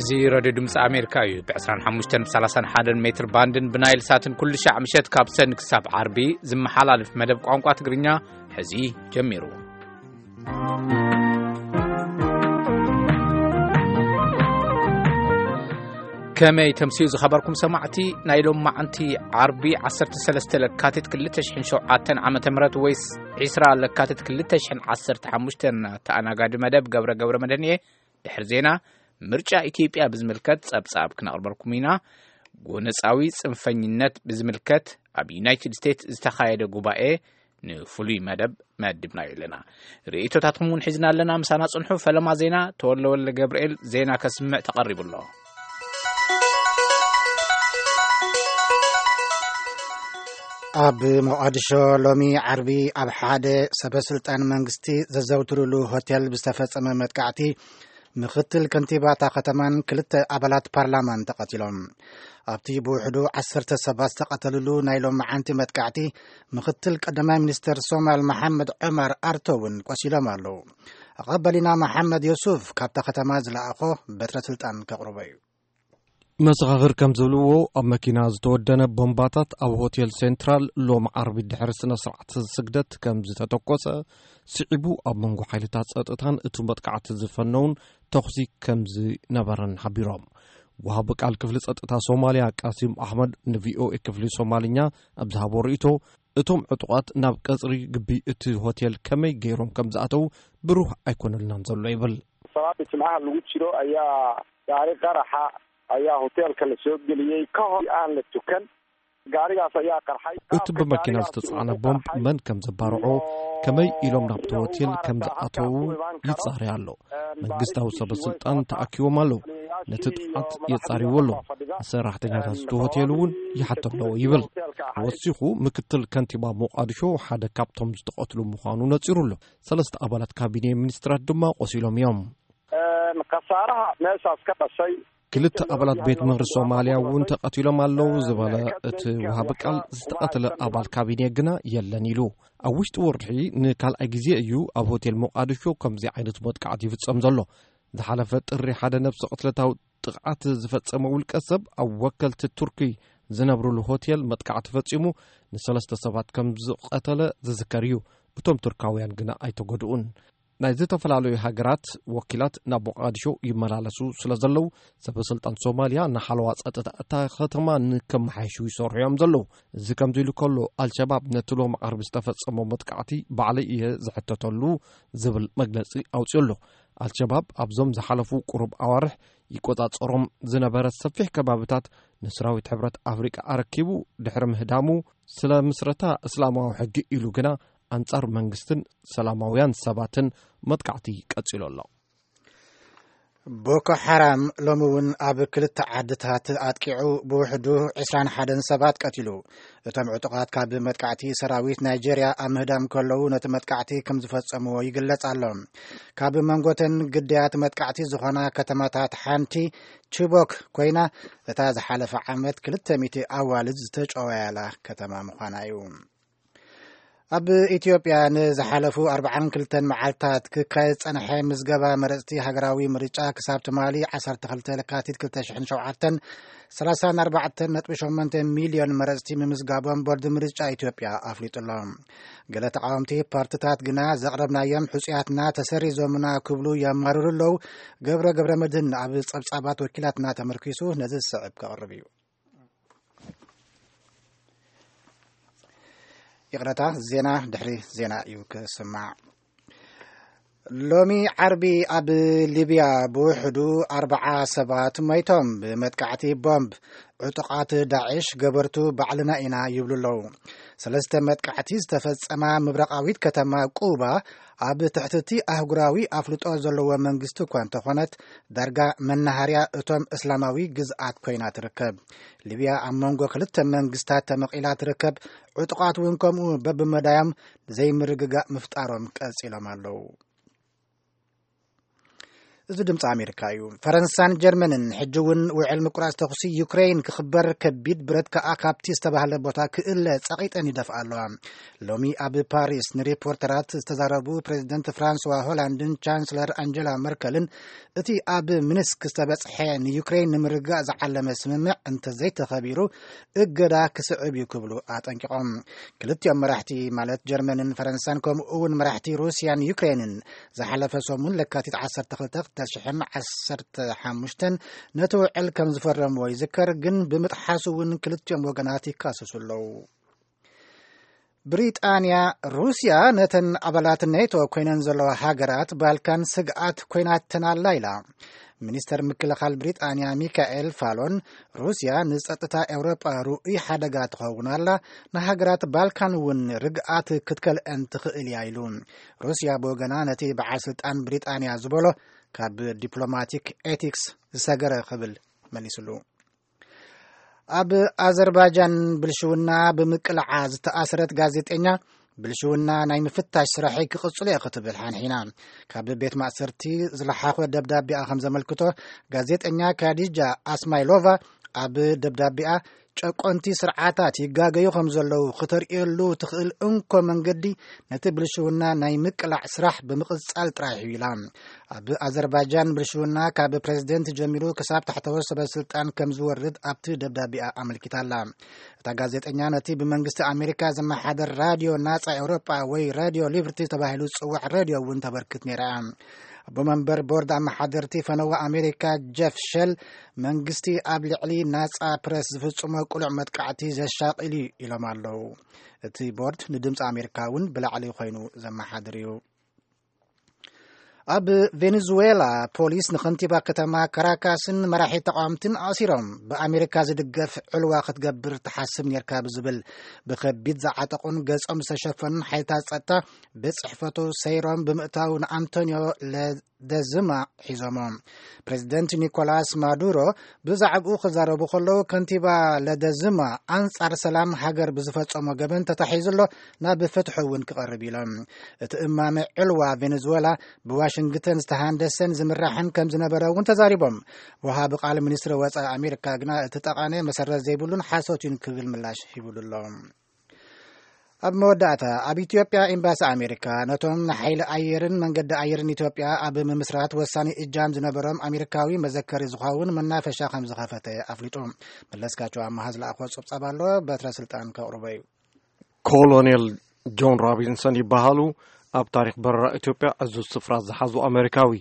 እዚ ሬድዮ ድምፂ ኣሜሪካ እዩ። ብ ዕስራን ሓሙሽተን ብ ሰላሳን ሓደን ሜትር ባንድን ብናይል ሳትን ኩሉ ሻዕ ምሸት ካብ ሰን ክሳብ ዓርቢ ዝመሓላለፍ መደብ ቋንቋ ትግርኛ ሕዚ ጀሚሩ። ከመይ ተምስዩ ዝኸበርኩም ሰማዕቲ፣ ናይ ሎም መዓንቲ ዓርቢ ዓሰርተ ሰለስተ ለካቲት ክልተ ሽሕን ሸውዓተን ዓመተ ምህረት ወይስ ዒስራ ለካቲት ክልተ ሽሕን ዓሰርተ ሓሙሽተን ተኣናጋዲ መደብ ገብረ ገብረ መድህን እየ። ድሕሪ ዜና፣ ምርጫ ኢትዮጵያ ብዝምልከት ጸብጻብ ክነቕርበልኩም ኢና። ጎነጻዊ ጽንፈኝነት ብዝምልከት ኣብ ዩናይትድ ስቴትስ ዝተኻየደ ጉባኤ ንፍሉይ መደብ መዲብናዮ ኣለና። ርእይቶታትኩም እውን ሒዝና ኣለና። ምሳና ጽንሑ። ፈለማ ዜና ተወልደ ወልደ ገብርኤል ዜና ከስምዕ ተቐሪቡ ኣሎ። ኣብ ሞቓዲሾ ሎሚ ዓርቢ ኣብ ሓደ ሰበ ስልጣን መንግስቲ ዘዘውትሩሉ ሆቴል ብዝተፈጸመ መጥቃዕቲ ምኽትል ከንቲባ እታ ከተማን ክልተ ኣባላት ፓርላማን ተቐቲሎም። ኣብቲ ብውሕዱ ዓሰርተ ሰባት ዝተቐተልሉ ናይ ሎሚ መዓንቲ መጥቃዕቲ ምኽትል ቀዳማይ ሚኒስተር ሶማል መሓመድ ዑማር ኣርቶ እውን ቆሲሎም ኣለዉ። ኣቐበሊና መሓመድ ዮሱፍ ካብታ ከተማ ዝለኣኾ በትረ ስልጣን ከቕርቦ እዩ። መሰኻኽር ከም ዝብልዎ፣ ኣብ መኪና ዝተወደነ ቦምባታት ኣብ ሆቴል ሴንትራል ሎም ዓርቢ ድሕሪ ስነ ስርዓት ስግደት ከም ዝተተኮሰ ስዒቡ፣ ኣብ መንጎ ሓይልታት ጸጥታን እቲ መጥቃዕቲ ዝፈነውን ተኹሲ ከም ዝነበረን ሓቢሮም። ወሃቢ ቃል ክፍሊ ጸጥታ ሶማልያ ቃሲም ኣሕመድ ንቪኦኤ ክፍሊ ሶማልኛ ኣብ ዝሃቦ ርእይቶ፣ እቶም ዕጡቓት ናብ ቀጽሪ ግቢ እቲ ሆቴል ከመይ ገይሮም ከም ዝኣተዉ ብሩህ ኣይኮነልናን ዘሎ ይብል። Salaada Jimcaha lagu jiro ayaa gaari qaraxa ayaa hoteelka la soo geliyey ka hor aan la tukan. Gaarigaas ayaa qarxay. እቲ ብመኪና ዝተጻዕነ ቦምብ መን ከም ዘባርዖ፣ ከመይ ኢሎም ናብቲ ሆቴል ከም ዝኣተዉ ይጻረይ ኣሎ። መንግስታዊ ሰበ ስልጣን ተኣኪቦም ኣለዉ። ነቲ ጥፍዓት የጻርይዎ ኣለዉ። ንሰራሕተኛታት እቲ ሆቴል እውን ይሓቶ ኣለዎ ይብል። ወሲኹ፣ ምክትል ከንቲባ ሞቓዲሾ ሓደ ካብቶም ዝተቐትሉ ምዃኑ ነጺሩ ኣሎ። ሰለስተ ኣባላት ካቢኔ ሚኒስትራት ድማ ቆሲሎም እዮም። Een, khasaaraha meeshaas ka dhashay ክልተ ኣባላት ቤት ምኽሪ ሶማልያ እውን ተቐቲሎም ኣለዉ ዝበለ እቲ ወሃቢ ቃል፣ ዝተቐትለ ኣባል ካቢኔ ግና የለን ኢሉ። ኣብ ውሽጢ ወርሒ ንካልኣይ ግዜ እዩ ኣብ ሆቴል ሞቃዲሾ ከምዚ ዓይነት መጥቃዕቲ ይፍጸም ዘሎ። ዝሓለፈ ጥሪ ሓደ ነብሰ ቅትለታዊ ጥቕዓት ዝፈጸመ ውልቀ ሰብ ኣብ ወከልቲ ቱርኪ ዝነብሩሉ ሆቴል መጥቃዕቲ ፈጺሙ ንሰለስተ ሰባት ከም ዝቐተለ ዝዝከር እዩ። እቶም ቱርካውያን ግና ኣይተጎድኡን። ናይ ዝተፈላለዩ ሃገራት ወኪላት ናብ ሞቃዲሾ ይመላለሱ ስለ ዘለዉ፣ ሰበ ስልጣን ሶማልያ ንሓለዋ ጸጥታ እታ ከተማ ንከመሓይሹ ይሰርሑ እዮም ዘለዉ። እዚ ከምዚ ኢሉ ከሎ፣ ኣልሸባብ ነቲ ሎም ዓርቢ ዝተፈጸመ መጥቃዕቲ ባዕለይ እየ ዝሕተተሉ ዝብል መግለጺ ኣውጺኡ ኣሎ። ኣልሸባብ ኣብዞም ዝሓለፉ ቁሩብ ኣዋርሕ ይቆጻጸሮም ዝነበረ ሰፊሕ ከባብታት ንሰራዊት ሕብረት ኣፍሪቃ ኣረኪቡ ድሕሪ ምህዳሙ፣ ስለ ምስረታ እስላማዊ ሕጊ ኢሉ ግና ኣንጻር መንግስትን ሰላማውያን ሰባትን መጥቃዕቲ ቀጺሉ ኣሎ። ቦኮ ሓራም ሎሚ እውን ኣብ ክልተ ዓድታት ኣጥቂዑ ብውሕዱ ዕስራን ሓደን ሰባት ቀቲሉ። እቶም ዕጡቓት ካብ መጥቃዕቲ ሰራዊት ናይጄርያ ኣብ ምህዳም ከለዉ ነቲ መጥቃዕቲ ከም ዝፈጸምዎ ይግለጽ ኣሎ። ካብ መንጎተን ግዳያት መጥቃዕቲ ዝኾና ከተማታት ሓንቲ ቺቦክ ኮይና፣ እታ ዝሓለፈ ዓመት ክልተ ሚእቲ ኣዋልድ ዝተጨወያላ ከተማ ምዃና እዩ። ኣብ ኢትዮጵያ ንዝሓለፉ ኣርብዓን ክልተን መዓልታት ክካየድ ዝጸንሐ ምዝገባ መረጽቲ ሃገራዊ ምርጫ ክሳብ ትማሊ ዓሰርተ ክልተ ለካቲት ክልተ ሽሕን ሸውዓተን ሰላሳን ኣርባዕተን ነጥቢ ሸሞንተ ሚልዮን መረጽቲ ምምዝጋቦም ቦርድ ምርጫ ኢትዮጵያ ኣፍሊጡ ኣሎ። ገለ ተቃወምቲ ፓርትታት ግና ዘቕረብናዮም ሕጹያትና ተሰሪዞምና ክብሉ የማርሩ ኣለዉ። ገብረ ገብረ መድህን ኣብ ጸብጻባት ወኪላትና ተመርኪሱ ነዚ ዝስዕብ ከቕርብ እዩ። ይቕረታ፣ ዜና ድሕሪ ዜና እዩ ክስማዕ። ሎሚ ዓርቢ ኣብ ሊብያ ብውሕዱ ኣርብዓ ሰባት ሞይቶም ብመጥቃዕቲ ቦምብ። ዕጡቓት ዳዕሽ ገበርቱ ባዕልና ኢና ይብሉ ኣለዉ። ሰለስተ መጥቃዕቲ ዝተፈጸማ ምብራቓዊት ከተማ ቁባ ኣብ ትሕቲ እቲ ኣህጉራዊ ኣፍልጦ ዘለዎ መንግስቲ እኳ እንተኾነት፣ ዳርጋ መናሃርያ እቶም እስላማዊ ግዝኣት ኮይና ትርከብ። ሊብያ ኣብ መንጎ ክልተ መንግስታት ተመቒላ ትርከብ። ዕጡቓት እውን ከምኡ በብመዳዮም ዘይምርግጋእ ምፍጣሮም ቀጺሎም ኣለዉ። እዚ ድምፂ ኣሜሪካ እዩ። ፈረንሳን ጀርመንን ሕጂ እውን ውዕል ምቁራፅ ተኹሲ ዩክሬን ክኽበር፣ ከቢድ ብረት ከኣ ካብቲ ዝተባህለ ቦታ ክእለ ጸቒጠን ይደፍኣ ኣለዋ። ሎሚ ኣብ ፓሪስ ንሪፖርተራት ዝተዛረቡ ፕሬዚደንት ፍራንስዋ ሆላንድን ቻንስለር ኣንጀላ መርከልን፣ እቲ ኣብ ሚንስክ ዝተበጽሐ ንዩክሬን ንምርግጋእ ዝዓለመ ስምምዕ እንተዘይተኸቢሩ እገዳ ክስዕብ እዩ ክብሉ ኣጠንቂቖም። ክልቲኦም መራሕቲ፣ ማለት ጀርመንን ፈረንሳን፣ ከምኡ እውን መራሕቲ ሩስያን ዩክሬንን ዝሓለፈ ሰሙን ለካቲት ዓሰርተ ክልተ ክልተ ሽሕን ዓሰርተ ሓሙሽተን ነቲ ውዕል ከም ዝፈረምዎ ይዝከር። ግን ብምጥሓሱ እውን ክልቲኦም ወገናት ይካሰሱ ኣለዉ። ብሪጣንያ፣ ሩስያ ነተን ኣባላት ኔቶ ኮይነን ዘለዋ ሃገራት ባልካን ስግኣት ኮይናተን ኣላ ኢላ። ሚኒስተር ምክልኻል ብሪጣንያ ሚካኤል ፋሎን፣ ሩስያ ንጸጥታ ኤውሮጳ ርኡይ ሓደጋ ትኸውን ኣላ፣ ንሃገራት ባልካን እውን ርግኣት ክትከልአን ትኽእል እያ ኢሉ። ሩስያ ብወገና ነቲ በዓል ስልጣን ብሪጣንያ ዝበሎ ካብ ዲፕሎማቲክ ኤቲክስ ዝሰገረ ክብል መሊስሉ። ኣብ ኣዘርባይጃን ብልሽውና ብምቅላዓ ዝተኣስረት ጋዜጠኛ፣ ብልሽውና ናይ ምፍታሽ ስራሐይ ክቕጽሎ እየ ክትብል ሓንሒና። ካብ ቤት ማእሰርቲ ዝለሓኾ ደብዳቤኣ ከም ዘመልክቶ፣ ጋዜጠኛ ካዲጃ ኣስማይሎቫ ኣብ ደብዳቤኣ፣ ጨቆንቲ ስርዓታት ይጋገዩ ከም ዘለዉ ክተርእየሉ ትኽእል እንኮ መንገዲ ነቲ ብልሽውና ናይ ምቅላዕ ስራሕ ብምቕጻል ጥራሕ እዩ ኢላ። ኣብ ኣዘርባይጃን ብልሽውና ካብ ፕሬዝደንት ጀሚሩ ክሳብ ታሕተዎት ሰበ ስልጣን ከም ዝወርድ ኣብቲ ደብዳቤኣ ኣመልኪታ ኣላ። እታ ጋዜጠኛ ነቲ ብመንግስቲ ኣሜሪካ ዝመሓደር ራድዮ ናጻ ኤውሮጳ ወይ ራድዮ ሊብርቲ ተባሂሉ ዝጽዋዕ ራድዮ እውን ተበርክት ነይራ እያ። ኣቦ መንበር ቦርድ ኣመሓደርቲ ፈነወ ኣሜሪካ ጀፍ ሸል፣ መንግስቲ ኣብ ልዕሊ ናጻ ፕረስ ዝፍጽሞ ቅሉዕ መጥቃዕቲ ዘሻቕል እዩ ኢሎም ኣለዉ። እቲ ቦርድ ንድምፂ ኣሜሪካ እውን ብላዕሊ ኮይኑ ዘመሓድር እዩ። ኣብ ቬኔዙዌላ፣ ፖሊስ ንኸንቲባ ከተማ ካራካስን መራሒ ተቃወምትን ኣሲሮም። ብኣሜሪካ ዝድገፍ ዕልዋ ክትገብር ትሓስብ ኔርካ ብዝብል ብከቢድ ዝዓጠቑን ገጾም ዝተሸፈኑን ሓይልታት ጸጥታ ቤት ጽሕፈቱ ሰይሮም ብምእታው ንኣንቶኒዮ ለደዝማ ሒዞሞ። ፕሬዚደንት ኒኮላስ ማዱሮ ብዛዕባኡ ክዛረቡ ከለዉ፣ ከንቲባ ለደዝማ ኣንጻር ሰላም ሃገር ብዝፈጸሞ ገበን ተታሒዙ ኣሎ፣ ናብ ፍትሒ እውን ክቐርብ ኢሎም። እቲ እማመ ዕልዋ ቬኔዙዌላ ብዋሽንግተን ዝተሃንደሰን ዝምራሕን ከም ዝነበረ እውን ተዛሪቦም። ወሃቢ ቃል ሚኒስትሪ ወጻኢ ኣሜሪካ ግና እቲ ጠቓነ መሰረት ዘይብሉን ሓሶት እዩን ክብል ምላሽ ሂቡሉ ኣሎ። ኣብ መወዳእታ፣ ኣብ ኢትዮጵያ ኤምባሲ ኣሜሪካ ነቶም ንሓይሊ ኣየርን መንገዲ ኣየርን ኢትዮጵያ ኣብ ምምስራት ወሳኒ እጃም ዝነበሮም ኣሜሪካዊ መዘከሪ ዝኸውን መናፈሻ ከም ዝኸፈተ ኣፍሊጡ። መለስካቸው ኣመሃ ዝለኣኾ ጸብጻብ ኣሎ፣ በትረ ስልጣን ከቕርቦ እዩ። ኮሎኔል ጆን ሮቢንሰን ይበሃሉ። ኣብ ታሪኽ በረራ ኢትዮጵያ ዕዙዝ ስፍራ ዝሓዙ ኣሜሪካዊ።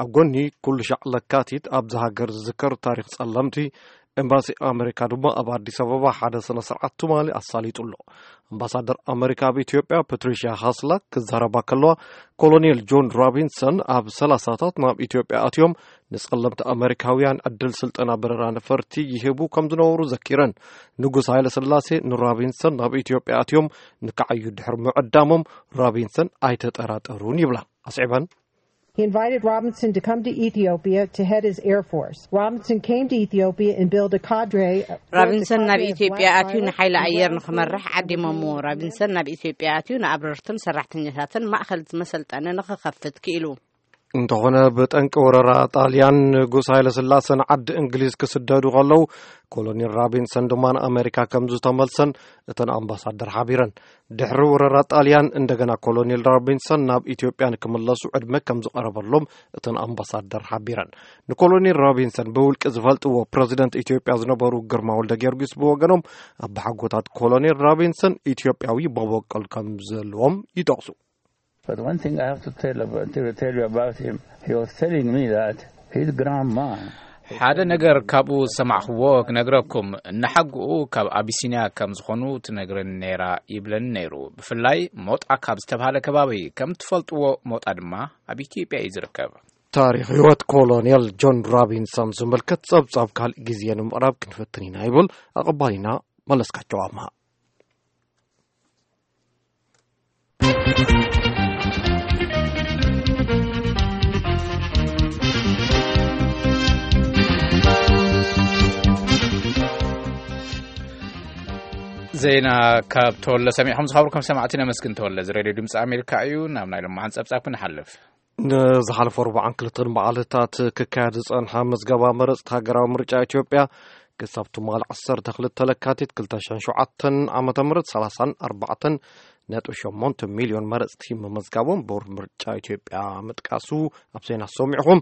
ኣብ ጎኒ ኩሉ ሻዕ ለካቲት ኣብዚ ሃገር ዝዝከር ታሪኽ ጸለምቲ፣ ኤምባሲ ኣሜሪካ ድማ ኣብ ኣዲስ ኣበባ ሓደ ስነ ስርዓት ትማሊ ኣሳሊጡ ኣሎ። ኣምባሳደር ኣሜሪካ ኣብ ኢትዮጵያ ፓትሪሽያ ሃስላክ ክዛረባ ከለዋ፣ ኮሎኔል ጆን ሮቢንሰን ኣብ ሰላሳታት ናብ ኢትዮጵያ ኣትዮም ንጸለምቲ ኣሜሪካውያን ዕድል ስልጠና በረራ ነፈርቲ ይህቡ ከም ዝነበሩ ዘኪረን፣ ንጉስ ሃይለ ስላሴ ንሮቢንሰን ናብ ኢትዮጵያ ኣትዮም ንክዓዩ ድሕሪ ምዕዳሞም ሮቢንሰን ኣይተጠራጠሩን ይብላ። ኣስዒበን፣ He invited Robinson to come to Ethiopia to head his air force. Robinson came to Ethiopia and built a cadre. Robinson ናብ ኢትዮጵያ ኣትዩ ንሓይሊ ኣየር ንክመርሕ ዓዲሞምዎ። ሮቢንሰን ናብ ኢትዮጵያ ኣትዩ ንኣብረርትን ሰራሕተኛታትን ማእኸል መሰልጠኒ ንክኸፍት ክኢሉ። እንተኾነ፣ ብጠንቂ ወረራ ጣልያን ንጉስ ሃይለ ስላሰ ንዓዲ እንግሊዝ ክስደዱ ከለዉ፣ ኮሎኔል ሮቢንሰን ድማ ንኣሜሪካ ከም ዝተመልሰን እተን ኣምባሳደር ሓቢረን። ድሕሪ ወረራ ጣልያን፣ እንደገና ኮሎኔል ሮቢንሰን ናብ ኢትዮጵያ ንክምለሱ ዕድመ ከም ዝቐረበሎም እተን ኣምባሳደር ሓቢረን። ንኮሎኔል ሮቢንሰን ብውልቂ ዝፈልጥዎ ፕረዚደንት ኢትዮጵያ ዝነበሩ ግርማ ወልደ ጊዮርጊስ ብወገኖም፣ ኣባሓጎታት ኮሎኔል ሮቢንሰን ኢትዮጵያዊ መበቆል ከም ዘለዎም ይጠቕሱ። But one thing I have to tell, about, to tell you about him, he was telling me that his grandma. ሓደ ነገር ካብኡ ዝሰማዕኽዎ ክነግረኩም። እናሓግኡ ካብ ኣቢሲንያ ከም ዝኾኑ ትነግረኒ ነይራ ይብለኒ ነይሩ። ብፍላይ ሞጣ ካብ ዝተባህለ ከባቢ ከም ትፈልጥዎ፣ ሞጣ ድማ ኣብ ኢትዮጵያ እዩ ዝርከብ። ታሪኽ ህይወት ኮሎኔል ጆን ሮቢንሰን ዝምልከት ጸብጻብ ካልእ ግዜ ንምቕራብ ክንፍትን ኢና ይብል ኣቐባሊና መለስካቸው ኣምሃ። ዜና ካብ ተወለ ሰሚዕኹም ዝኸብርኩም ሰማዕቲ ነመስግን። ተወለ፣ እዚ ሬድዮ ድምፂ ኣሜሪካ እዩ። ናብ ናይ ሎማዓን ፀብፃብ ክንሓልፍ። ንዝሓለፈ ኣርባዓን ክልተን መዓልታት ክካየድ ዝጸንሐ ምዝገባ መረጽቲ ሃገራዊ ምርጫ ኢትዮጵያ ክሳብ ትማሊ ዓሰርተ ክልተ ለካቲት ክልተ ሽሕን ሸውዓተን ዓመተ ምህረት ሰላሳን ኣርባዕተን ነጥቢ ሸሞንተ ሚልዮን መረጽቲ ምምዝጋቦም ቦርድ ምርጫ ኢትዮጵያ ምጥቃሱ ኣብ ዜና ሰሚዕኹም።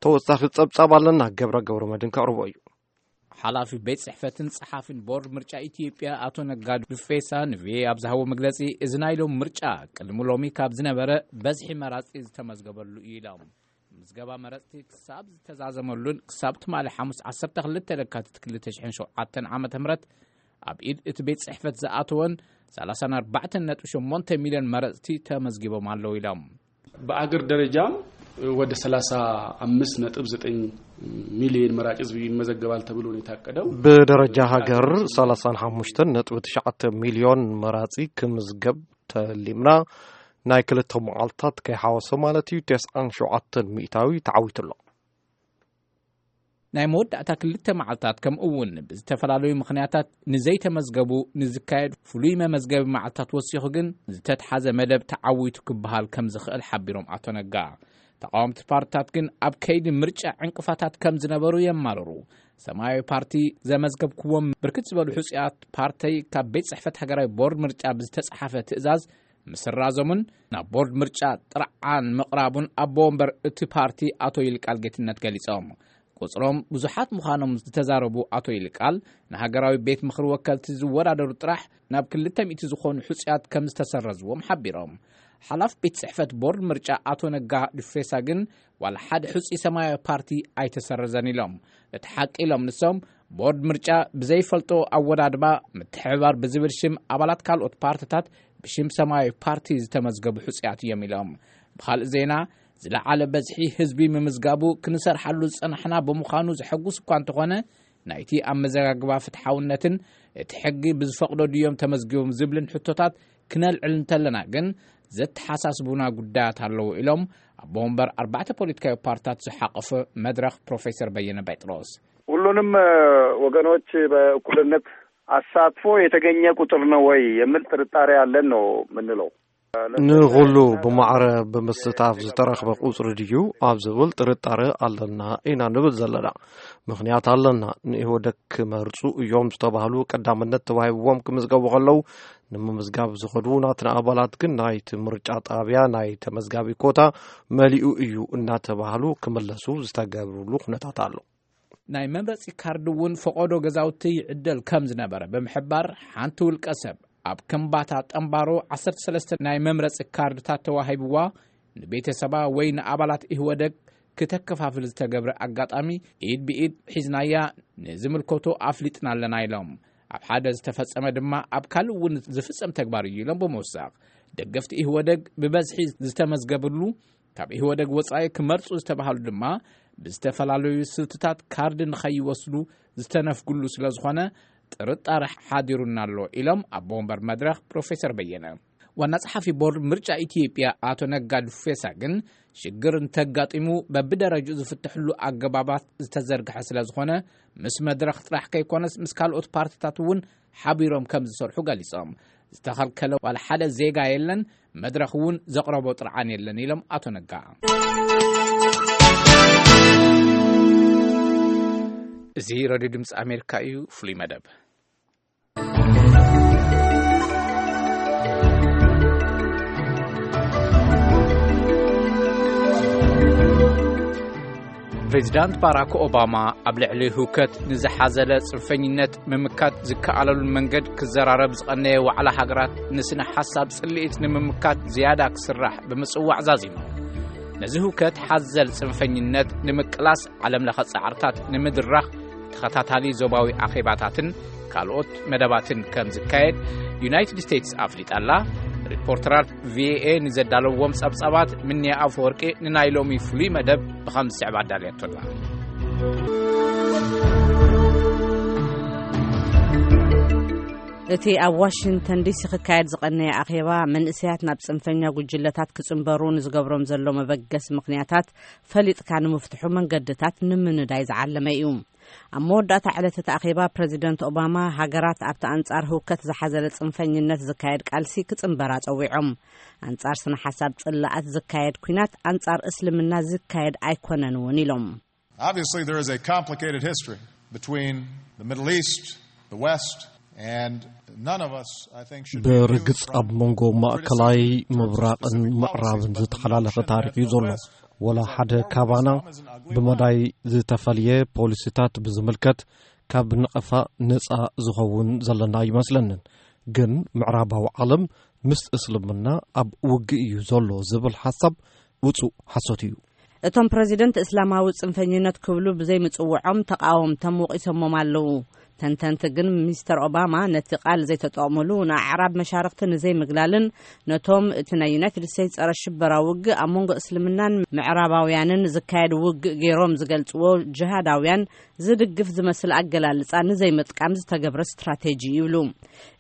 ተወሳኺ ጸብጻብ ኣለና፣ ገብረ ገብረ መድህን ከቕርቦ እዩ። ሓላፊ ቤት ጽሕፈትን ጸሓፊን ቦርድ ምርጫ ኢትዮጵያ ኣቶ ነጋ ዱፌሳ ንቪኦኤ ኣብ ዝሃቦ መግለጺ፣ እዚ ናይ ሎም ምርጫ ቅድሚ ሎሚ ካብ ዝነበረ በዝሒ መራጺ ዝተመዝገበሉ እዩ ኢሎም። ምዝገባ መረጽቲ ክሳብ ዝተዛዘመሉን ክሳብ ትማሊ ሓሙስ ዓሰርተ ክልተ ለካቲት ክልተ ሽሕን ሸውዓተን ዓመተ ምህረት ኣብ ኢድ እቲ ቤት ጽሕፈት ዝኣተወን ሰላሳን ኣርባዕተን ነጥቢ ሸሞንተ ሚልዮን መረጽቲ ተመዝጊቦም ኣለዉ ኢሎም። በአገር ደረጃም ወደ ሠላሳ አምስት ነጥብ ዘጠኝ ሚሊዮን መራጭ ህዝብ ይመዘገባል ተብሎ ነው የታቀደው። ብደረጃ ሃገር ሰላሳን ሓሙሽተን ነጥቢ ትሽዓተ ሚልዮን መራጺ ክምዝገብ ተሊምና፣ ናይ ክልተ መዓልታት ከይሓወሰ ማለት እዩ፣ ተስዓን ሸውዓተን ሚእታዊ ተዓዊቱ ኣሎ። ናይ መወዳእታ ክልተ መዓልታት፣ ከምኡ እውን ብዝተፈላለዩ ምኽንያታት ንዘይተመዝገቡ ንዝካየድ ፍሉይ መመዝገቢ መዓልታት ወሲኹ ግን ዝተትሓዘ መደብ ተዓዊቱ ክበሃል ከም ዝኽእል ሓቢሮም ኣቶ ነጋ። ተቃወምቲ ፓርትታት ግን ኣብ ከይዲ ምርጫ ዕንቅፋታት ከም ዝነበሩ የማርሩ። ሰማያዊ ፓርቲ ዘመዝገብክዎም ብርክት ዝበሉ ሕጹያት ፓርተይ ካብ ቤት ጽሕፈት ሃገራዊ ቦርድ ምርጫ ብዝተጻሓፈ ትእዛዝ ምስራዞምን ናብ ቦርድ ምርጫ ጥርዓን ምቕራቡን ኣቦ ወንበር እቲ ፓርቲ ኣቶ ይልቃል ጌትነት ገሊጾም። ቁጽሮም ብዙሓት ምዃኖም ዝተዛረቡ ኣቶ ይልቃል፣ ንሃገራዊ ቤት ምኽሪ ወከልቲ ዝወዳደሩ ጥራሕ ናብ ክልተ ሚእቲ ዝኾኑ ሕጹያት ከም ዝተሰረዝዎም ሓቢሮም። ሓላፍ ቤት ጽሕፈት ቦርድ ምርጫ ኣቶ ነጋ ዱፌሳ ግን ዋላ ሓደ ሕጹይ ሰማያዊ ፓርቲ ኣይተሰረዘን ኢሎም። እቲ ሓቂ ኢሎም ንሶም፣ ቦርድ ምርጫ ብዘይፈልጦ ኣወዳድባ ምትሕብባር ብዝብል ሽም ኣባላት ካልኦት ፓርትታት ብሽም ሰማያዊ ፓርቲ ዝተመዝገቡ ሕጹያት እዮም ኢሎም። ብኻልእ ዜና፣ ዝለዓለ በዝሒ ህዝቢ ምምዝጋቡ ክንሰርሓሉ ዝጸናሕና ብምዃኑ ዘሐጉስ እኳ እንተኾነ፣ ናይቲ ኣመዘጋግባ ፍትሓውነትን እቲ ሕጊ ብዝፈቕዶ ድዮም ተመዝጊቦም ዝብልን ሕቶታት ክነልዕል እንተለና ግን ዘተሓሳስቡና ጉዳያት ኣለዉ ኢሎም ኣቦ ወንበር ኣርባዕተ ፖለቲካዊ ፓርትታት ዝሓቐፈ መድረኽ ፕሮፌሰር በየነ ጴጥሮስ። ሁሉንም ወገኖች በእኩልነት አሳትፎ የተገኘ ቁጥር ነው ወይ የሚል ጥርጣሬ አለን ነው የምንለው። ንኹሉ ብማዕረ ብምስታፍ ዝተረኽበ ቁጽሪ ድዩ ኣብ ዝብል ጥርጣረ ኣለና ኢና ንብል ዘለና። ምኽንያት ኣለና። ንኢህወደግ ክመርጹ እዮም ዝተባህሉ ቀዳምነት ተዋሂብዎም ክምዝገቡ ከለዉ፣ ንምምዝጋብ ዝኸዱ ናትና ኣባላት ግን ናይቲ ምርጫ ጣብያ ናይ ተመዝጋቢ ኮታ መሊኡ እዩ እናተባህሉ ክምለሱ ዝተገብርሉ ኩነታት ኣሎ። ናይ መምረጺ ካርድ እውን ፈቐዶ ገዛውቲ ይዕደል ከም ዝነበረ ብምሕባር፣ ሓንቲ ውልቀ ሰብ ኣብ ከምባታ ጠምባሮ ዓሰርተ ሰለስተ ናይ መምረጺ ካርድታት ተዋሂብዋ ንቤተሰባ ወይ ንኣባላት ኢህወደግ ክተከፋፍል ዝተገብረ ኣጋጣሚ ኢድ ብኢድ ሒዝናያ ንዝምልከቶ ኣፍሊጥና ኣለና ኢሎም። ኣብ ሓደ ዝተፈጸመ ድማ ኣብ ካልእ እውን ዝፍጸም ተግባር እዩ ኢሎም ብምውሳኽ፣ ደገፍቲ ኢህወደግ ብበዝሒ ዝተመዝገብሉ፣ ካብ ኢህወደግ ወጻኢ ክመርጹ ዝተባሃሉ ድማ ብዝተፈላለዩ ስልትታት ካርድ ንኸይወስዱ ዝተነፍግሉ ስለ ዝኾነ ጥርጣረ ሓዲሩና ኣሎ ኢሎም ኣቦ ወንበር መድረኽ ፕሮፌሰር በየነ። ዋና ጸሓፊ ቦርድ ምርጫ ኢትዮጵያ ኣቶ ነጋ ዱፌሳ ግን ሽግር እንተጋጢሙ በብደረጅኡ ዝፍትሕሉ ኣገባባት ዝተዘርግሐ ስለ ዝኾነ ምስ መድረኽ ጥራሕ ከይኮነስ ምስ ካልኦት ፓርትታት እውን ሓቢሮም ከም ዝሰርሑ ገሊጾም። ዝተኸልከለ ዋላ ሓደ ዜጋ የለን፣ መድረኽ እውን ዘቕረቦ ጥርዓን የለን ኢሎም ኣቶ ነጋ። እዚ ሬድዮ ድምፂ ኣሜሪካ እዩ። ፍሉይ መደብ። ፕሬዚዳንት ባራክ ኦባማ ኣብ ልዕሊ ህውከት ንዝሓዘለ ጽንፈኝነት ምምካት ዝከኣለሉን መንገድ ክዘራረብ ዝቐነየ ዋዕላ ሃገራት ንስነ ሓሳብ ጽልኢት ንምምካት ዝያዳ ክስራሕ ብምጽዋዕ ዛዚሙ። ነዚ ህውከት ሓዘል ጽንፈኝነት ንምቅላስ ዓለም ለኸ ጻዕርታት ንምድራኽ ተኸታታሊ ዞባዊ ኣኼባታትን ካልኦት መደባትን ከም ዝካየድ ዩናይትድ ስቴትስ ኣፍሊጣ ኣላ። ሪፖርተራት ቪኦኤ ንዘዳለዎም ጸብጻባት ምንያ ኣፈወርቂ ንናይ ሎሚ ፍሉይ መደብ ብኸም ዝስዕብ ኣዳልያቶ ኣላ። እቲ ኣብ ዋሽንግተን ዲሲ ክካየድ ዝቐነየ ኣኼባ፣ መንእሰያት ናብ ጽንፈኛ ጉጅለታት ክጽንበሩ ንዝገብሮም ዘሎ መበገሲ ምኽንያታት ፈሊጥካ ንምፍትሑ መንገድታት ንምንዳይ ዝዓለመ እዩ። ኣብ መወዳእታ ዕለት እቲ ኣኼባ፣ ፕረዚደንት ኦባማ፣ ሃገራት ኣብቲ ኣንጻር ህውከት ዝሓዘለ ጽንፈኝነት ዝካየድ ቃልሲ ክጽንበራ ጸዊዖም። ኣንጻር ስነ ሓሳብ ጽላኣት ዝካየድ ኲናት ኣንጻር እስልምና ዝካየድ ኣይኮነን እውን ኢሎም። Obviously, there is a complicated history between the Middle East, the West, and none of us, I think, should be immune ብርግጽ from ኣብ መንጎ ማእከላይ ምብራቕን ምዕራብን ዝተሓላለኸ ታሪኽ እዩ ዘሎ። ወላ ሓደ ካባና ብመዳይ ዝተፈልየ ፖሊሲታት ብዝምልከት ካብ ነቐፋ ነጻ ዝኸውን ዘለና ኣይመስለንን። ግን ምዕራባዊ ዓለም ምስ እስልምና ኣብ ውግእ እዩ ዘሎ ዝብል ሓሳብ ውጹእ ሓሶት እዩ። እቶም ፕረዚደንት፣ እስላማዊ ጽንፈኝነት ክብሉ ብዘይምጽውዖም ተቓወምቶም ወቒሶሞም ኣለዉ። ተንተንቲ ግን፣ ሚስተር ኦባማ ነቲ ቃል ዘይተጠቕሙሉ፣ ንኣዕራብ መሻርኽቲ ንዘይምግላልን ነቶም እቲ ናይ ዩናይትድ ስቴትስ ጸረ ሽበራ ውግእ ኣብ መንጎ እስልምናን ምዕራባውያንን ዝካየድ ውግእ ገይሮም ዝገልጽዎ ጅሃዳውያን ዝድግፍ ዝመስል ኣገላልጻ ንዘይምጥቃም ዝተገብረ ስትራቴጂ ይብሉ።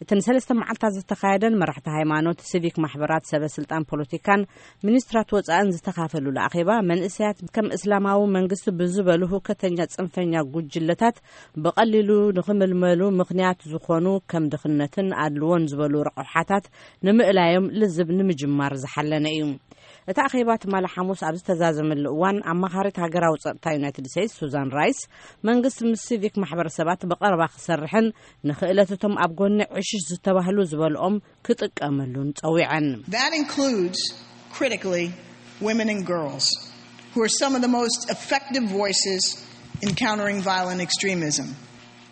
እቲ ንሰለስተ መዓልታት ዝተኻየደን መራሕቲ ሃይማኖት፣ ሲቪክ ማሕበራት፣ ሰበ ስልጣን ፖለቲካን ሚኒስትራት ወጻእን ዝተኻፈሉሉ ኣኼባ፣ መንእሰያት ከም እስላማዊ መንግስቲ ብዝበሉ ህውከተኛ ጽንፈኛ ጉጅለታት ብቐሊሉ ንኽምልመሉ ምኽንያት ዝኾኑ ከም ድኽነትን ኣድልዎን ዝበሉ ረቑሓታት ንምእላዮም ልዝብ ንምጅማር ዝሓለነ እዩ። እቲ ኣኼባ ትማሊ ሓሙስ ኣብ ዝተዛዘመሉ እዋን፣ ኣማኻሪት ሃገራዊ ጸጥታ ዩናይትድ ስቴትስ ሱዛን ራይስ፣ መንግስቲ ምስ ሲቪክ ማሕበረሰባት ብቐረባ ክሰርሕን ንኽእለት እቶም ኣብ ጎኒ ዕሽሽ ዝተባህሉ ዝበልኦም ክጥቀመሉን ጸዊዐን። That includes, critically, women and girls, who are some of the most effective voices in countering violent extremism.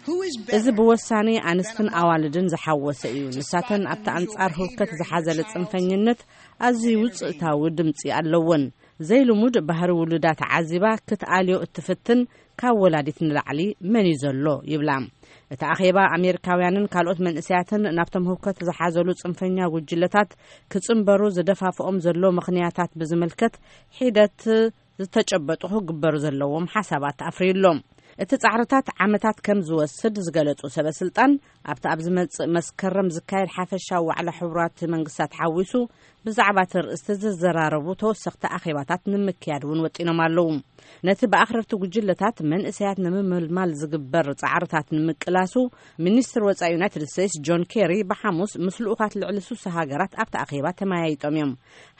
Who is እዚ better ብወሳኒ ኣንስትን ኣዋልድን ዝሓወሰ እዩ። ንሳተን ኣብቲ ኣንጻር ህውከት ዝሓዘለ ጽንፈኝነት ኣዝዩ ውጽእታዊ ድምጺ ኣለወን። ዘይልሙድ ባህሪ ውሉዳ ተዓዚባ ክትኣልዮ እትፍትን ካብ ወላዲት ንላዕሊ መን እዩ ዘሎ ይብላ። እቲ ኣኼባ፣ ኣሜሪካውያንን ካልኦት መንእሰያትን ናብቶም ህውከት ዝሓዘሉ ጽንፈኛ ጉጅለታት ክጽንበሩ ዝደፋፍኦም ዘሎ ምኽንያታት ብዝምልከት ሒደት ዝተጨበጡ ክግበሩ ዘለዎም ሓሳባት ኣፍርዩሎም። እቲ ጻዕርታት ዓመታት ከም ዝወስድ ዝገለጹ ሰበ ስልጣን፣ ኣብቲ ኣብ ዝመጽእ መስከረም ዝካየድ ሓፈሻዊ ዋዕላ ሕቡራት መንግስታት ሓዊሱ ብዛዕባ እቲ ርእስቲ ዝዘራረቡ ተወሰኽቲ ኣኼባታት ንምክያድ እውን ወጢኖም ኣለዉ። ነቲ ብኣኽረርቲ ጉጅለታት መንእሰያት ንምምልማል ዝግበር ጻዕርታት ንምቅላሱ፣ ሚኒስትር ወጻኢ ዩናይትድ ስቴትስ ጆን ኬሪ ብሓሙስ ምስ ልኡኻት ልዕሊ ሱሳ ሃገራት ኣብቲ ኣኼባ ተመያይጦም እዮም።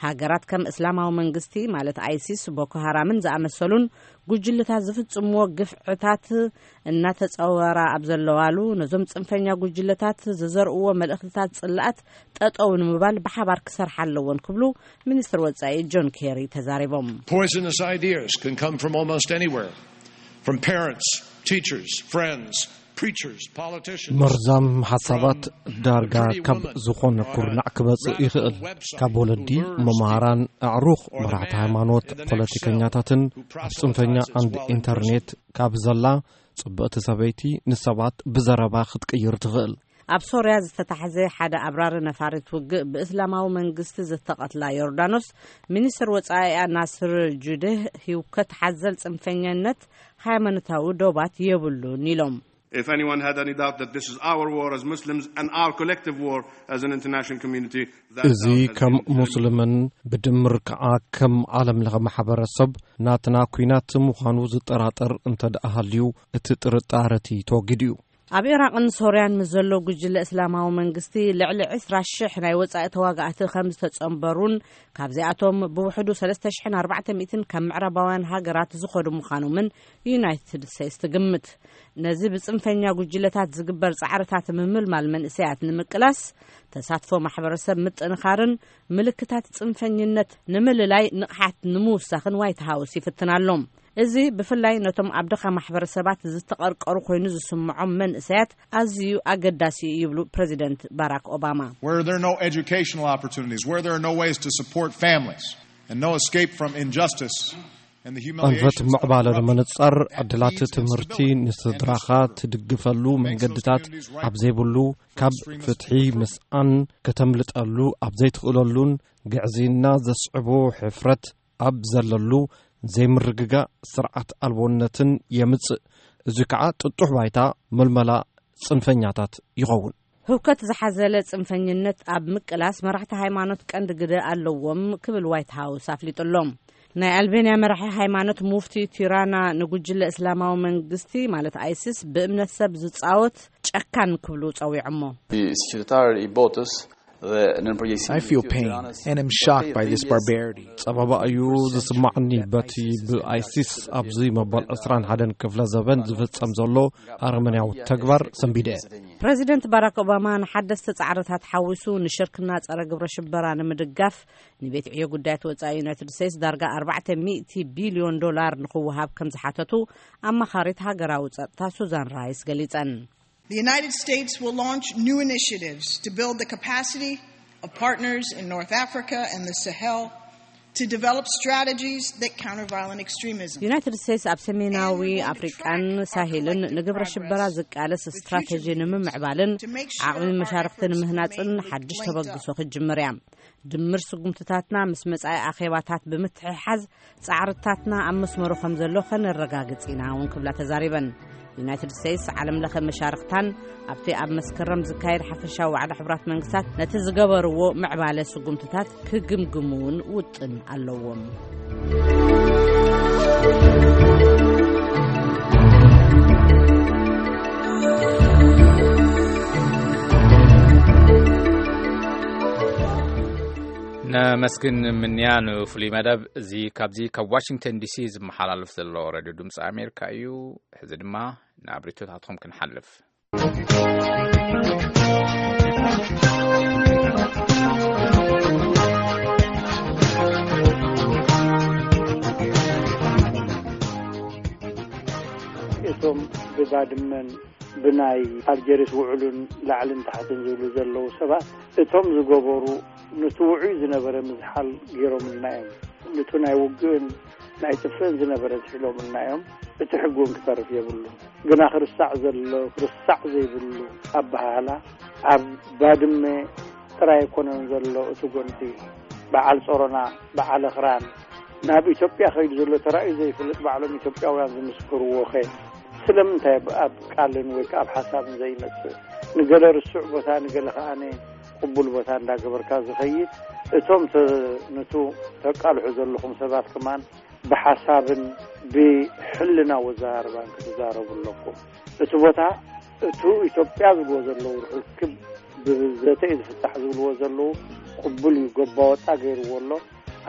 ሃገራት ከም እስላማዊ መንግስቲ፣ ማለት ኣይሲስ፣ ቦኮ ሃራምን ዝኣመሰሉን ጉጅለታት ዝፍጽምዎ ግፍዕታት እናተጸወራ ኣብ ዘለዋሉ፣ ነዞም ጽንፈኛ ጉጅለታት ዝዘርእዎ መልእኽትታት ጽላኣት ጠጠው ንምባል ብሓባር ክሰርሓ ኣለዎን ክብሉ ሚኒስትር ወጻኢ ጆን ኬሪ ተዛሪቦም። Poisonous ideas can come from almost anywhere, from parents, teachers, friends, preachers, politicians. መርዛም ሓሳባት ዳርጋ ካብ ዝኾነ ኩርናዕ ክመጽእ ይኽእል። ካብ ወለዲ፣ መምሃራን፣ ኣዕሩኽ፣ መራሕቲ ሃይማኖት፣ ፖለቲከኛታትን ኣብ ጽንፈኛ ዓንዲ ኢንተርኔት ካብ ዘላ ጽብቕቲ ሰበይቲ ንሰባት ብዘረባ ክትቅይር ትኽእል። ኣብ ሶርያ ዝተታሕዘ ሓደ ኣብራሪ ነፋሪት ውግእ ብእስላማዊ መንግስቲ ዝተቐትላ ዮርዳኖስ፣ ሚኒስትር ወጻኢኣ ናስር ጁዴህ፣ ህውከት ሓዘል ጽንፈኛነት ሃይማኖታዊ ዶባት የብሉን ኢሎም። If anyone had any doubt that this is our war as Muslims and our collective war as an international community, that እዚ doubt has ከም been ሙስልምን ብድምር ከኣ ከም ዓለም ለኸ ማሕበረሰብ ናትና ኲናት ምዃኑ ዝጠራጠር እንተ ደኣ ሃልዩ፣ እቲ ጥርጣረቲ ተወጊዱ እዩ። ኣብ ኢራቕን ሶርያን ምስ ዘሎ ጉጅለ እስላማዊ መንግስቲ ልዕሊ ዕስራ ሽሕ ናይ ወጻኢ ተዋጋእቲ ከም ዝተጸንበሩን ካብዚኣቶም ብውሕዱ ሰለስተ ሽሕን ኣርባዕተ ሚእትን ካብ ምዕራባውያን ሃገራት ዝኸዱ ምዃኖምን ዩናይትድ ስቴትስ ትግምት። ነዚ ብጽንፈኛ ጉጅለታት ዝግበር ጻዕርታት ምምልማል መንእሰያት ንምቅላስ፣ ተሳትፎ ማሕበረሰብ ምጥንኻርን ምልክታት ጽንፈኝነት ንምልላይ ንቕሓት ንምውሳኽን ዋይት ሃውስ ይፍትን ኣሎ። እዚ ብፍላይ ነቶም ኣብ ድኻ ማሕበረሰባት ዝተቐርቀሩ ኮይኑ ዝስምዖም መንእሰያት ኣዝዩ ኣገዳሲ እዩ ይብሉ ፕረዚደንት ባራክ ኦባማ። Where there are no educational opportunities, where there are no ways to support families, and no escape from injustice and the humiliation ኣንፈት ምዕባለ ንምንጻር፣ ዕድላት ትምህርቲ ንስድራኻ ትድግፈሉ መንገድታት ኣብ ዘይብሉ፣ ካብ ፍትሒ ምስኣን ከተምልጠሉ ኣብ ዘይትኽእለሉን ግዕዝይና ዘስዕቦ ሕፍረት ኣብ ዘለሉ ዘይምርግጋእ ስርዓት ኣልቦነትን የምጽእ። እዚ ከኣ ጥጡሕ ባይታ ምልመላ ጽንፈኛታት ይኸውን። ህውከት ዝሓዘለ ጽንፈኝነት ኣብ ምቅላስ መራሕቲ ሃይማኖት ቀንዲ ግደ ኣለዎም ክብል ዋይት ሃውስ ኣፍሊጡ ኣሎ። ናይ ኣልቤንያ መራሒ ሃይማኖት ሙፍቲ ቲራና ንጉጅለ እስላማዊ መንግስቲ ማለት ኣይሲስ ብእምነት ሰብ ዝጻወት ጨካን ክብሉ ጸዊዖሞ። Di sfruttare i botus dhe nën përgjegjësinë I feel pain and am shocked by this barbarity. ጸበባ እዩ ዝስማዕኒ በቲ ብኣይሲስ ኣብዚ መበል ዕስራን ሓደን ክፍለ ዘበን ዝፍጸም ዘሎ ኣረመንያዊ ተግባር ሰንቢደ። ፕረዚደንት ባራክ ኦባማ ንሓደስቲ ጻዕርታት ሓዊሱ ንሽርክና ጸረ ግብረ ሽበራ ንምድጋፍ ንቤት ዕዮ ጉዳያት ወጻኢ ዩናይትድ ስቴትስ ዳርጋ ኣርባዕተ ሚእቲ ቢልዮን ዶላር ንኽወሃብ ከም ዝሓተቱ ኣማኻሪት ሃገራዊ ጸጥታ ሱዛን ራይስ ገሊጸን። The United States will launch new initiatives to build the capacity of partners in North Africa and the Sahel to develop strategies that counter violent extremism. ዩናይትድ ስቴትስ ኣብ ሰሜናዊ ኣፍሪቃን ሳሄልን ንግብረ ሽበራ ዝቃለስ ስትራተጂ ንምምዕባልን ዓቕሚ መሻርክቲ ንምህናፅን ሓድሽ ተበግሶ ክትጅምር እያ። ድምር ስጉምትታትና ምስ መጻኢ ኣኼባታት ብምትሕሓዝ ጻዕርታትና ኣብ መስመሩ ከም ዘሎ ከነረጋግጽ ኢና እውን ክብላ ተዛሪበን። ዩናይትድ ስቴትስ ዓለም ለኸ መሻርክታን ኣብቲ ኣብ መስከረም ዝካየድ ሓፈሻዊ ዋዕላ ሕቡራት መንግስታት ነቲ ዝገበርዎ ምዕባለ ስጉምትታት ክግምግሙ እውን ውጥን ኣለዎም። ነመስግን ምንያ ንፍሉይ መደብ እዚ። ካብዚ ካብ ዋሽንግተን ዲሲ ዝመሓላለፍ ዘሎ ሬድዮ ድምፂ ኣሜሪካ እዩ። ሕዚ ድማ ናብ ሪቶታትኩም ክንሓልፍ። እቶም ብባድመን ብናይ ኣልጀርስ ውዕሉን ላዕልን ታሕትን ዝብሉ ዘለዉ ሰባት እቶም ዝገበሩ ነቲ ውዑይ ዝነበረ ምዝሓል ገይሮምልና እዮም። ነቲ ናይ ውግእን ናይ ጥፍእን ዝነበረ ዝሒሎምልና እዮም። እቲ ሕጊ እውን ክተርፍ የብሉ። ግና ክርስዕ ዘሎ ክርስዕ ዘይብሉ ኣበሃህላ ኣብ ባድመ ጥራይ ኣይኮነን ዘሎ። እቲ ጎንፂ በዓል ጾሮና በዓል ኣኽራን ናብ ኢትዮጵያ ከይዱ ዘሎ ተራእዩ ዘይፈልጥ ባዕሎም ኢትዮጵያውያን ዝምስክርዎ ኸ ስለምንታይ ኣብ ቃልን ወይ ከዓ ኣብ ሓሳብን ዘይመፅእ? ንገለ ርሱዕ ቦታ ንገለ ከዓነ ቅቡል ቦታ እንዳገበርካ ዝኸይድ እቶም ነቱ ተቃልሑ ዘለኹም ሰባት ከማን ብሓሳብን ብሕልና ወዘራርባን ክትዛረቡ ኣለኩም። እቲ ቦታ እቱ ኢትዮጵያ ዝብልዎ ዘለዉ ርክብ ብዘተ እዩ ዝፍታሕ ዝብልዎ ዘለዉ ቅቡል እዩ። ጎባ ወጣ ገይርዎ ኣሎ።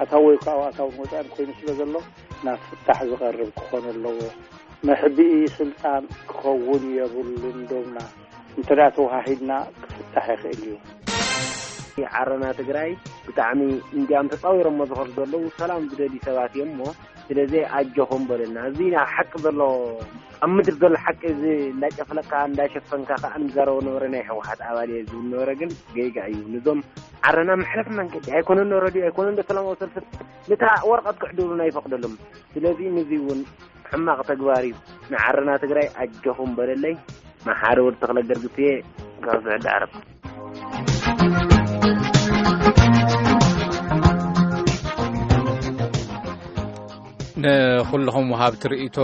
ኣታዊ ወይ ከዓ ኣታውን ወፃእን ኮይኑ ስለ ዘሎ ናብ ፍታሕ ዝቐርብ ክኾን ኣለዎ። መሕብኢ ስልጣን ክኸውን የብሉን ዶብና እንተ ደኣ ተወሃሂድና ክፍታሕ ይኽእል እዩ። ዓረና ትግራይ ብጣዕሚ እንዲያም ተፃዊሮሞ ዝኸዱ ዘለዉ ሰላም ዝደልዩ ሰባት እዮም እሞ ስለዚ ኣጆኹም በለና። እዚ ናብ ሓቂ ዘሎ ኣብ ምድር ዘሎ ሓቂ እዚ እንዳጨፍለካ እንዳሸፈንካ ከዓ ንዛረቦ ነበረ። ናይ ህወሓት ኣባል እየ ዝብል ነበረ ግን ገይጋ እዩ። ንዞም ዓረና መሕለፍ መንገዲ ኣይኮነን ዶ ረድዮ ኣይኮነን ዶ ሰላማዊ ሰልፊ ነታ ወረቐት ክሕድሩና ይፈቕደሎም። ስለዚ ንዚ እውን ሕማቕ ተግባር እዩ። ንዓረና ትግራይ ኣጆኹም በለለይ። መሓሪ ወዲ ተኽለ ገርግስ እየ ካብ ስዑዲ ዓረብ። ንኹልኹም ወሃብቲ ርእይቶ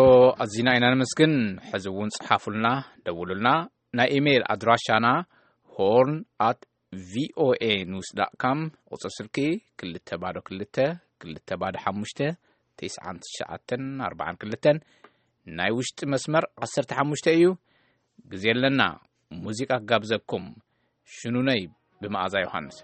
ኣዚና ኢና ነመስግን። ሕዚ እውን ጽሓፉልና፣ ደውሉልና። ናይ ኢሜይል ኣድራሻና ሆርን ኣት ቪኦኤ ኒውስ ዳት ካም፣ ቁጽሪ ስልኪ ክልተ ባዶ ክልተ ክልተ ባዶ ሓሙሽተ ተስዓን ትሽዓተን ኣርባዓን ክልተን፣ ናይ ውሽጢ መስመር ዓሰርተ ሓሙሽተ እዩ። ግዜ ኣለና፣ ሙዚቃ ክጋብዘኩም። ሽኑነይ ብመኣዛ ዮሃንስ።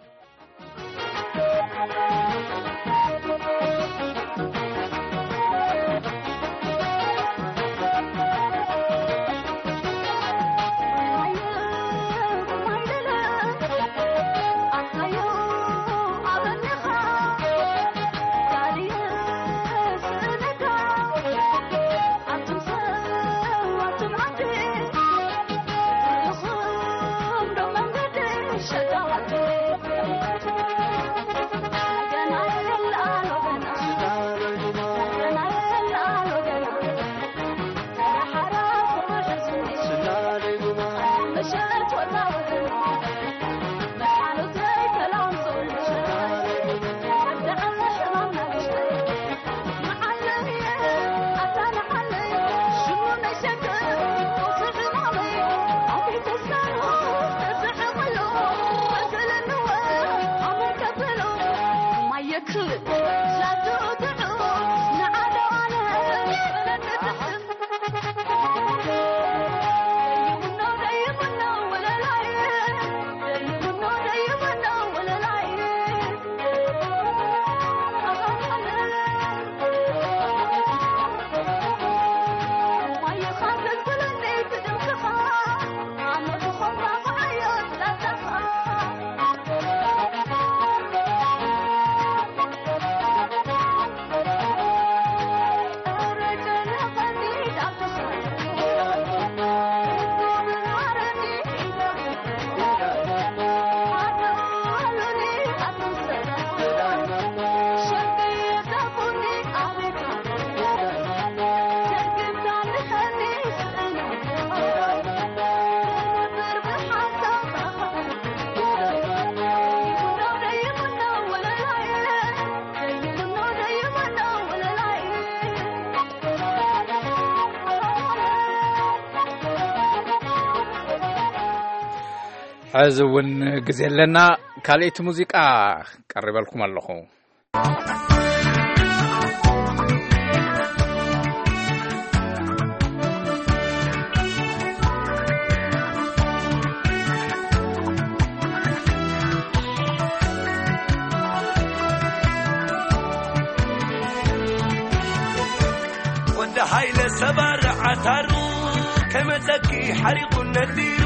ሕዚ እውን ግዜ ኣለና። ካልኣይቲ ሙዚቃ ቀሪበልኩም ኣለኹ። ወዲ ሃይለ ሰባር ዓታሩ ከመጸኪ ሓሪቑ ነዲሩ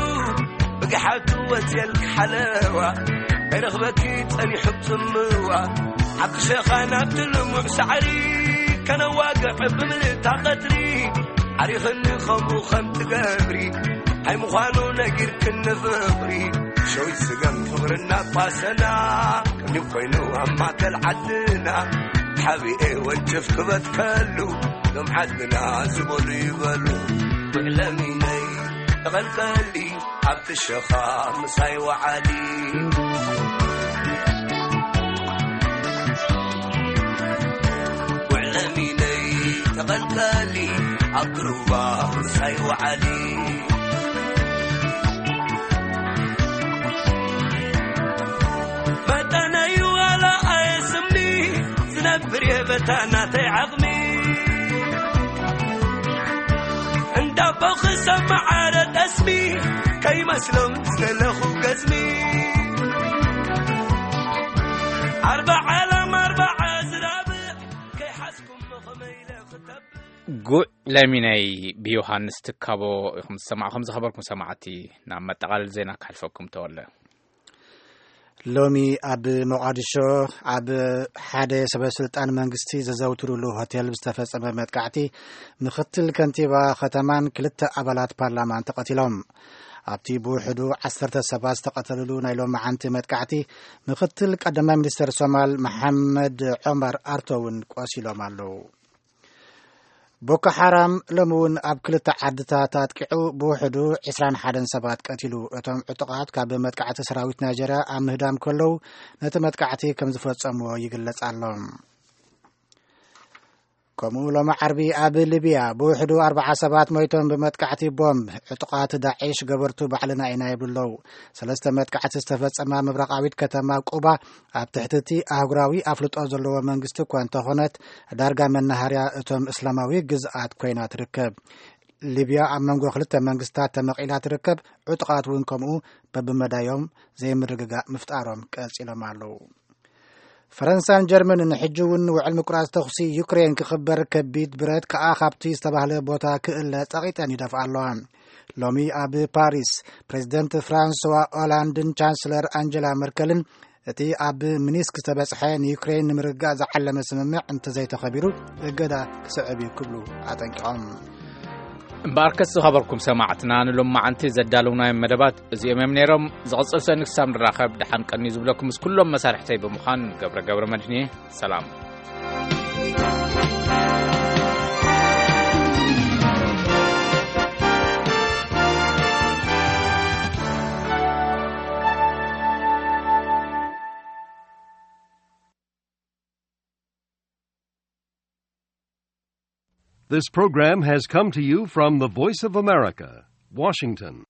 ብግሓቱ ወጽየልኪ ሓለዋ ከይረኽበኪ ጸኒሑ ጽምዋ ሓቂ ሸኻ ናብቲ ልሙዕ ሳዕሪ ከነዋግዕ ብምልእታ ቀትሪ ዓሪኽኒ ከምኡ ከም ትገብሪ ኣይምዃኑ ነጊርክኒ ፍቕሪ ሸዊት ስገም ፍቕርና ቋሰና ከምዩ ኮይኑ ኣብ ማእከል ዓድና ሓቢኤ ወንጭፍ ክበትከሉ ሎም ዓድና ዝበሉ ይበሉ ውዕለሚነይ ተቐልቀሊ ኣብቲ ሸኻ ምሳይ ወዓሊ ውዕለሚነይ ተቐልቀሊ ኣብ ግሩባ ምሳይ ወዓሊ መጠነይ ዋላ ኣየስምኒ ዝነብር የበታ ናተይ ዓቕሚ እንዳቦ ክሰማዓረ ጠስሚ ከይመስሎም ዝደለኹ ገዝሚ ኣርባዓ ላም ኣርባዓ ዝራብእ ከይሓዝኩም መኸመ ኢለ ክተብእ ጉዕ ለሚነይ ብዮሃንስ ትካቦ ኢኹም ዝሰማዕኹም ዝኸበርኩም ሰማዕቲ። ናብ መጠቓለል ዜና ክሓልፈኩም ተወለ። ሎሚ ኣብ ሞቓዲሾ ኣብ ሓደ ሰበ ስልጣን መንግስቲ ዘዘውትሩሉ ሆቴል ዝተፈጸመ መጥቃዕቲ ምኽትል ከንቲባ ከተማን ክልተ ኣባላት ፓርላማን ተቐቲሎም። ኣብቲ ብውሕዱ ዓሰርተ ሰባት ዝተቐተልሉ ናይ ሎማዓንቲ መጥቃዕቲ ምኽትል ቀዳማይ ሚኒስተር ሶማል መሓመድ ዑመር ኣርቶ እውን ቆሲሎም ኣለዉ። ቦኮ ሓራም ሎሚ እውን ኣብ ክልተ ዓድታት ኣጥቂዑ ብውሕዱ ዕስራን ሓደን ሰባት ቀቲሉ። እቶም ዕጡቓት ካብ መጥቃዕቲ ሰራዊት ናይጀርያ ኣብ ምህዳም ከለዉ ነቲ መጥቃዕቲ ከም ዝፈጸምዎ ይግለጽ ኣሎ። ከምኡ ሎሚ ዓርቢ ኣብ ሊብያ ብውሕዱ ኣርባዓ ሰባት ሞይቶም ብመጥቃዕቲ ቦምብ። ዕጡቓት ዳዒሽ ገበርቱ ባዕልና ኢና ይብሉ ኣለዉ። ሰለስተ መጥቃዕቲ ዝተፈጸማ ምብራቓዊት ከተማ ቁባ ኣብ ትሕቲ እቲ ኣህጉራዊ ኣፍልጦ ዘለዎ መንግስቲ እኳ እንተኾነት ዳርጋ መናሃርያ እቶም እስላማዊ ግዝኣት ኮይና ትርከብ። ሊብያ ኣብ መንጎ ክልተ መንግስታት ተመቒላ ትርከብ። ዕጡቓት እውን ከምኡ በብመዳዮም ዘይምርግጋእ ምፍጣሮም ቀጺሎም ኣለዉ። ፈረንሳን ጀርመንን ሕጂ እውን ውዕል ምቁራጽ ተኹሲ ዩክሬን ክኽበር ከቢድ ብረት ከኣ ካብቲ ዝተባህለ ቦታ ክእለ ጸቒጠን ይደፍኣ ኣለዋ። ሎሚ ኣብ ፓሪስ ፕሬዚደንት ፍራንስዋ ኦላንድን ቻንስለር ኣንጀላ መርከልን እቲ ኣብ ሚኒስክ ዝተበጽሐ ንዩክሬን ንምርግጋእ ዝዓለመ ስምምዕ እንተዘይተኸቢሩ እገዳ ክስዕብ እዩ ክብሉ ኣጠንቂቖም። እምበኣርከስ ዝኸበርኩም ሰማዕትና ንሎማዓንቲ ዘዳለውናዮም መደባት እዚኦም እዮም ነይሮም። ዝቕጽል ሰኒ ክሳብ ንራኸብ ደሓን ቀኒ ዝብለኩም ምስ ኩሎም መሳርሕተይ ብምዃን ገብረ ገብረ መድህን እየ። ሰላም። This program has come to you from the Voice of America, Washington.